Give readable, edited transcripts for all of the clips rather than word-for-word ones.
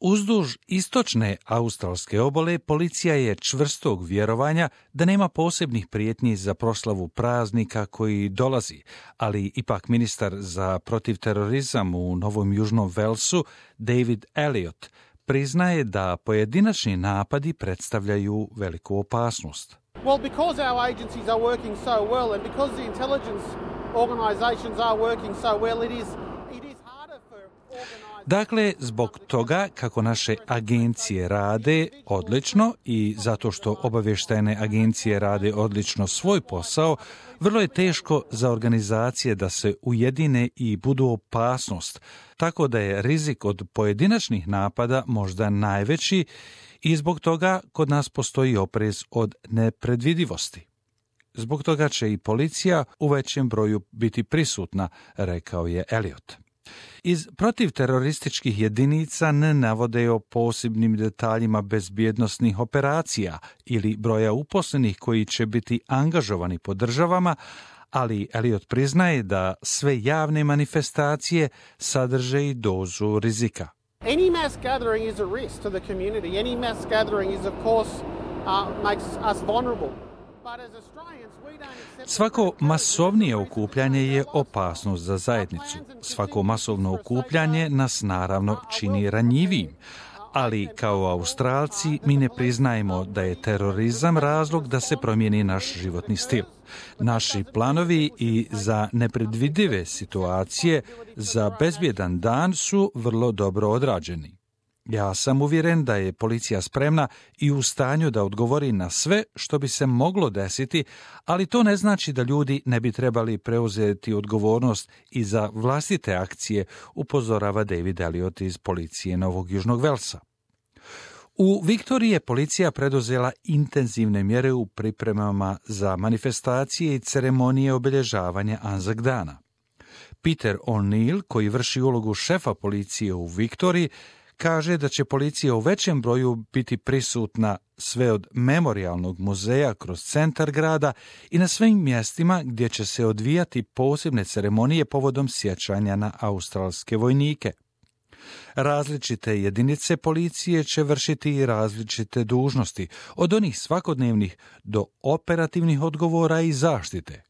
Uzduž istočne australske obale policija je čvrstog vjerovanja da nema posebnih prijetnji za proslavu praznika koji dolazi, ali ipak ministar za protivterorizam u Novom Južnom Velsu, David Elliott, priznaje da pojedinačni napadi predstavljaju veliku opasnost. Well, because our agencies are working so well and because the intelligence organizations are working so well, it is harder for organized... Dakle, zbog toga kako naše agencije rade odlično i zato što obavještajne agencije rade odlično svoj posao, vrlo je teško za organizacije da se ujedine i budu opasnost, tako da je rizik od pojedinačnih napada možda najveći i zbog toga kod nas postoji oprez od nepredvidivosti. Zbog toga će i policija u većem broju biti prisutna, rekao je Elliott. Iz protivterorističkih jedinica ne navode o posebnim detaljima bezbjednosnih operacija ili broja uposlenih koji će biti angažovani po državama, ali Elliott priznaje da sve javne manifestacije sadrže i dozu rizika. Any mass gathering is a risk to the community. Any mass gathering is, of course, makes us vulnerable. But as Australians, we don't accept... Svako masovnije okupljanje je opasnost za zajednicu. Svako masovno okupljanje nas naravno čini ranjivijim. Ali kao Australci mi ne priznajemo da je terorizam razlog da se promijeni naš životni stil. Naši planovi i za nepredvidive situacije za bezbjedan dan su vrlo dobro odrađeni. Ja sam uvjeren da je policija spremna i u stanju da odgovori na sve što bi se moglo desiti, ali to ne znači da ljudi ne bi trebali preuzeti odgovornost i za vlastite akcije, upozorava David Elliott iz policije Novog Južnog Velsa. U Viktoriji je policija preduzela intenzivne mjere u pripremama za manifestacije i ceremonije obilježavanja Anzac dana. Peter O'Neill, koji vrši ulogu šefa policije u Viktoriji, kaže da će policija u većem broju biti prisutna sve od memorijalnog muzeja kroz centar grada i na svim mjestima gdje će se odvijati posebne ceremonije povodom sjećanja na australske vojnike. Različite jedinice policije će vršiti i različite dužnosti, od onih svakodnevnih do operativnih odgovora i zaštite.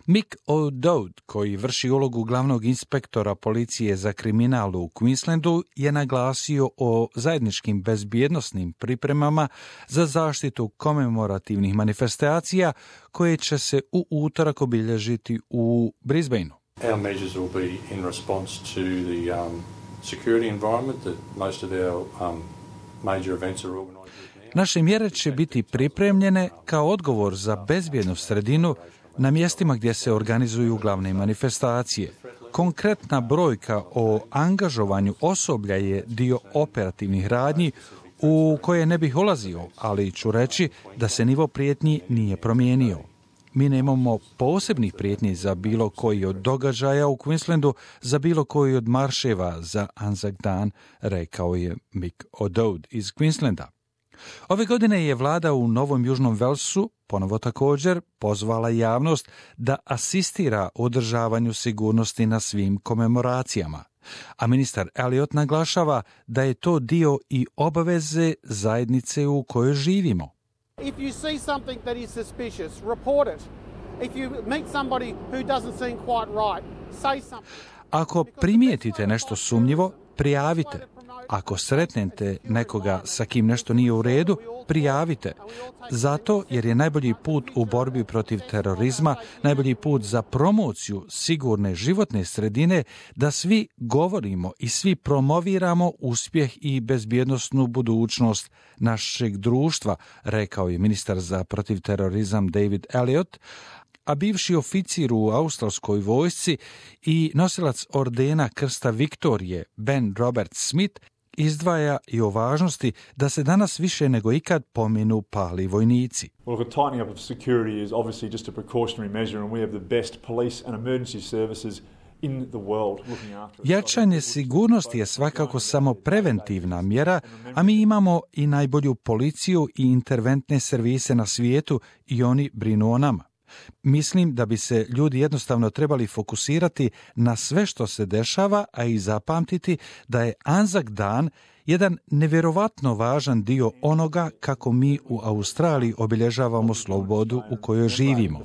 Mick O'Dowd, koji vrši ulogu glavnog inspektora policije za kriminal u Queenslandu, je naglasio o zajedničkim bezbjednosnim pripremama za zaštitu komemorativnih manifestacija koje će se u utorak obilježiti u Brisbaneu. Our measures will be in response to the security environment that most of our major events are organized with now. Naše mjere će biti pripremljene kao odgovor za bezbjednu sredinu na mjestima gdje se organizuju glavne manifestacije. Konkretna brojka o angažovanju osoblja je dio operativnih radnji u koje ne bih ulazio, ali ću reći da se nivo prijetnji nije promijenio. Mi nemamo posebnih prijetnji za bilo koji od događaja u Queenslandu, za bilo koji od marševa za Anzac dan, rekao je Mick O'Dowd iz Queenslanda. Ove godine je vlada u Novom Južnom Velsu ponovo također pozvala javnost da asistira održavanju sigurnosti na svim komemoracijama. A ministar Elliott naglašava da je to dio i obaveze zajednice u kojoj živimo. If you see something that is suspicious, report it. If you meet somebody who doesn't seem quite right, say something. Ako primijetite nešto sumnjivo, prijavite. Ako sretnete nekoga sa kim nešto nije u redu, prijavite. Zato jer je najbolji put u borbi protiv terorizma, najbolji put za promociju sigurne životne sredine da svi govorimo i svi promoviramo uspjeh i bezbjednosnu budućnost našeg društva, rekao je ministar za protivterorizam David Elliott, a bivši oficir u australskoj vojsci i nosilac ordena Krsta Viktorije Ben Robert Smith izdvaja i o važnosti da se danas više nego ikad pominu pali vojnici. Well, the tightening up of security is obviously just a precautionary measure and we have the best police and emergency services in the world looking after us. Jačanje sigurnosti je svakako samo preventivna mjera, a mi imamo i najbolju policiju i interventne servise na svijetu i oni brinu o nama. Mislim da bi se ljudi jednostavno trebali fokusirati na sve što se dešava, a i zapamtiti da je Anzac dan jedan nevjerovatno važan dio onoga kako mi u Australiji obilježavamo slobodu u kojoj živimo.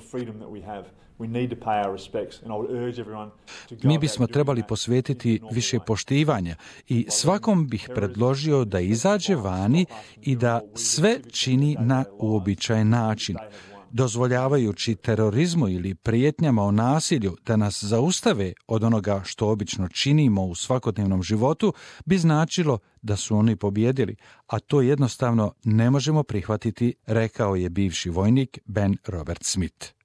Mi bismo trebali posvetiti više poštivanja i svakom bih predložio da izađe vani i da sve čini na uobičajen način. Dozvoljavajući terorizmu ili prijetnjama o nasilju da nas zaustave od onoga što obično činimo u svakodnevnom životu, bi značilo da su oni pobjedili, a to jednostavno ne možemo prihvatiti, rekao je bivši vojnik Ben Robert Smith.